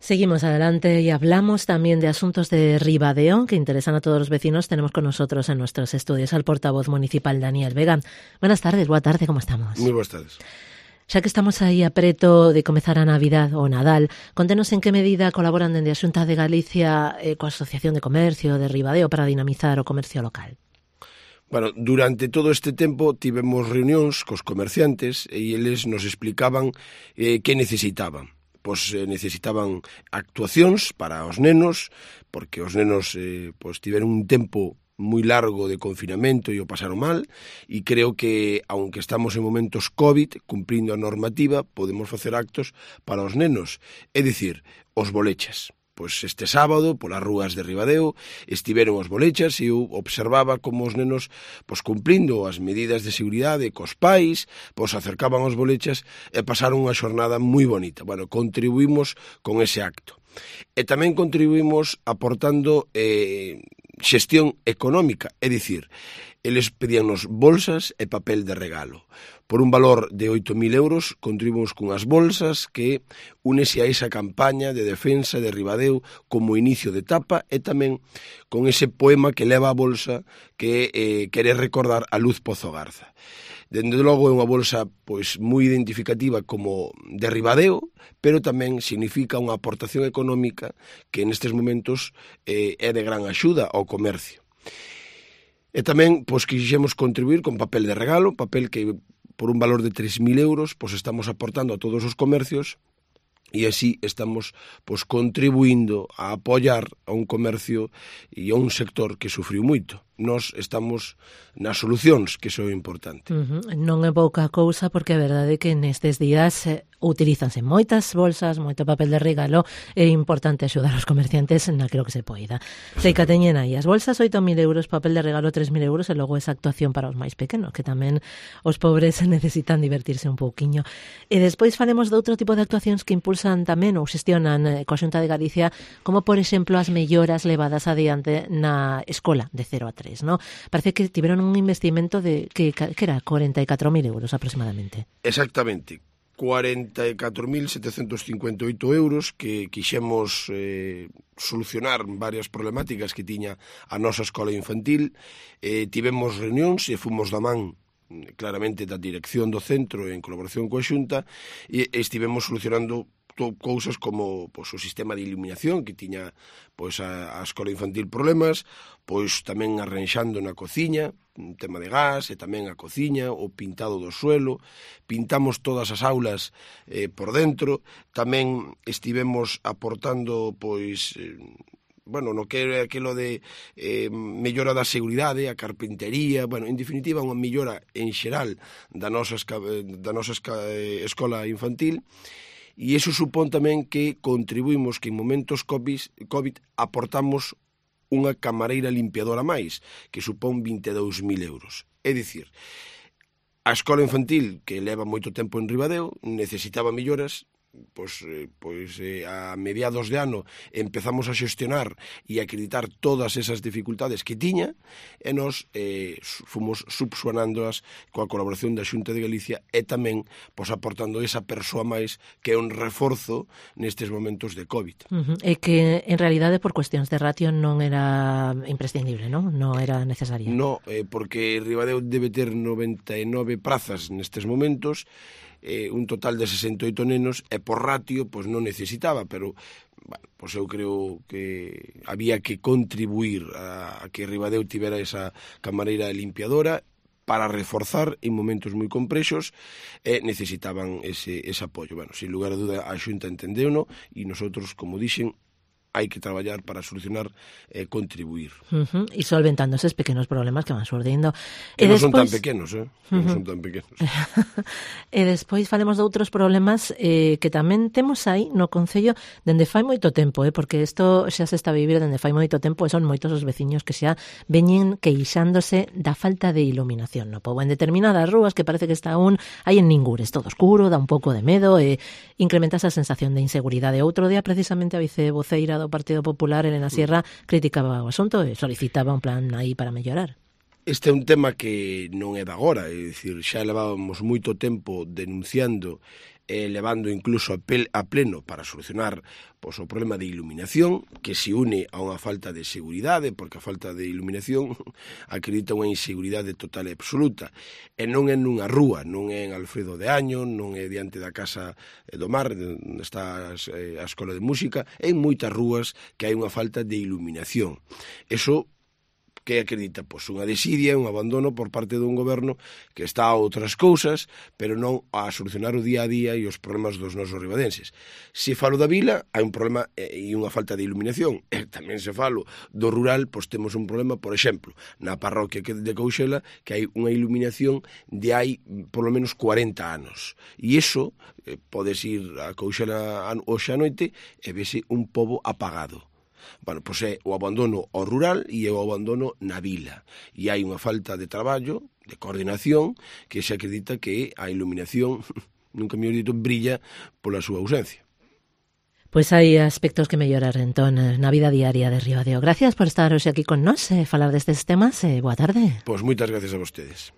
Seguimos adelante y hablamos también de asuntos de Ribadeo que interesan a todos los vecinos. Tenemos con nosotros en nuestros estudios al portavoz municipal Daniel Vega. Buenas tardes, boa tarde, como estamos? Moi boas tardes. Xa que estamos aí a preto de comezar a Navidad ou Nadal, contenos en que medida colaboran dende a Xunta de Galicia coa Asociación de Comercio de Ribadeo para dinamizar o comercio local. Bueno, durante todo este tempo tivemos reunións cos comerciantes e eles nos explicaban que necesitaban. Pois necesitaban actuacións para os nenos, porque os nenos tiveron un tempo moi largo de confinamento e o pasaron mal, e creo que, aunque estamos en momentos COVID, cumprindo a normativa, podemos facer actos para os nenos, é dicir, os bolechas. Pois este sábado, polas rúas de Ribadeo, estiveron os bolechas e eu observaba como os nenos, cumprindo as medidas de seguridade cos pais, acercaban os bolechas e pasaron unha xornada moi bonita. Bueno, contribuímos con ese acto. E tamén contribuímos aportando xestión económica, é dicir, eles pedíannos bolsas e papel de regalo. Por un valor de 8.000 euros, contribuímos cunhas bolsas que únese a esa campaña de defensa de Ribadeo como inicio de etapa e tamén con ese poema que leva a bolsa que quere recordar a Luz Pozo Garza. Dende logo é unha bolsa moi identificativa como de Ribadeo, pero tamén significa unha aportación económica que nestes momentos é de gran axuda ao comercio. E tamén quixemos contribuir con papel de regalo, papel que por un valor de 3.000 euros estamos aportando a todos os comercios e así estamos contribuindo a apoiar a un comercio e a un sector que sufriu moito. Nós estamos nas solucións, que iso é importante. Non é pouca cousa, porque a verdade é que nestes días utilízanse moitas bolsas, moito papel de regalo, é importante axudar os comerciantes naquilo que se poida. Sei que teñen aí as bolsas 8.000 euros, papel de regalo 3.000 euros e logo esa actuación para os máis pequenos, que tamén os pobres necesitan divertirse un pouquiño. E despois falemos de outro tipo de actuacións que impulsan tamén ou xestionan coa Xunta de Galicia, como por exemplo as melloras levadas adiante na escola de 0 a 3, ¿no? Parece que tiveron un investimento de que era 44.000 euros aproximadamente. Exactamente. 44.758 euros que quixemos solucionar varias problemáticas que tiña a nosa escola infantil. Tivemos reunións e fomos da man claramente da dirección do centro en colaboración coa Xunta e estivemos solucionando cousas como o sistema de iluminación que tiña a escola infantil problemas, tamén arranxando na cociña, un tema de gas e tamén a cociña, o pintado do suelo, pintamos todas as aulas por dentro, tamén estivemos aportando no que é aquilo de mellora da seguridade, a carpintería, en definitiva unha mellora en xeral da nosa escola infantil. E iso supón tamén que contribuímos que en momentos COVID aportamos unha camareira limpiadora máis, que supón 22.000 euros. É dicir, a escola infantil, que leva moito tempo en Ribadeo, necesitaba melloras. A mediados de ano empezamos a xestionar e a acreditar todas esas dificultades que tiña e nos fomos subsanándoas coa colaboración da Xunta de Galicia e tamén aportando esa persoa máis que é un reforzo nestes momentos de COVID. E que en realidade por cuestións de ratio non era imprescindible, non? Non era necesaria. Non, porque Ribadeo debe ter 99 prazas nestes momentos, un total de 68 nenos e por ratio non necesitaba, pero eu creo que había que contribuir a que Ribadeo tivera esa camareira limpiadora para reforzar en momentos moi complexos e necesitaban ese apoio. Sin lugar a duda a Xunta entendeuno e nosotros, como dixen, hai que traballar para solucionar e contribuir. E solventando eses pequenos problemas que van surdindo. Que non son tan pequenos, non son tan pequenos. E despois falemos de outros problemas que tamén temos aí no Concello dende fai moito tempo, porque isto xa se está a vivir dende fai moito tempo e son moitos os veciños que xa veñen queixándose da falta de iluminación no pobo. En determinadas rúas que parece que está hai en ningures, todo oscuro, dá un pouco de medo e incrementa esa sensación de inseguridade. Outro día, precisamente, a vicevoceira do Partido Popular, Elena Sierra, criticaba o asunto e solicitaba un plan aí para mellorar. Este é un tema que non é de agora, é dicir, xa levábamos moito tempo denunciando levando incluso a pleno para solucionar pois, o problema de iluminación, que se une a unha falta de seguridade, porque a falta de iluminación acredita unha inseguridade total e absoluta. E non é nunha rúa, non é en Alfredo de Año, non é diante da Casa do Mar, onde está a Escola de Música, é en moitas rúas que hai unha falta de iluminación. Eso que acredita pois, unha desidia, un abandono por parte dun goberno que está a outras cousas, pero non a solucionar o día a día e os problemas dos nosos ribadenses. Se falo da vila, hai un problema e unha falta de iluminación. E tamén se falo do rural, pois temos un problema, por exemplo, na parroquia de Couchela, que hai unha iluminación de hai por lo menos 40 anos. E iso, podes ir a Couchela hoxe a noite e vese un pobo apagado. Bueno, pois é o abandono ao rural e o abandono na vila. E hai unha falta de traballo, de coordinación, que se acredita que a iluminación, nunca me dito, brilla pola súa ausencia. Pois hai aspectos que mellorar entón na vida diaria de Ribadeo. Gracias por estar hoxe aquí con nós e falar destes temas. Boa tarde. Pois moitas gracias a vostedes.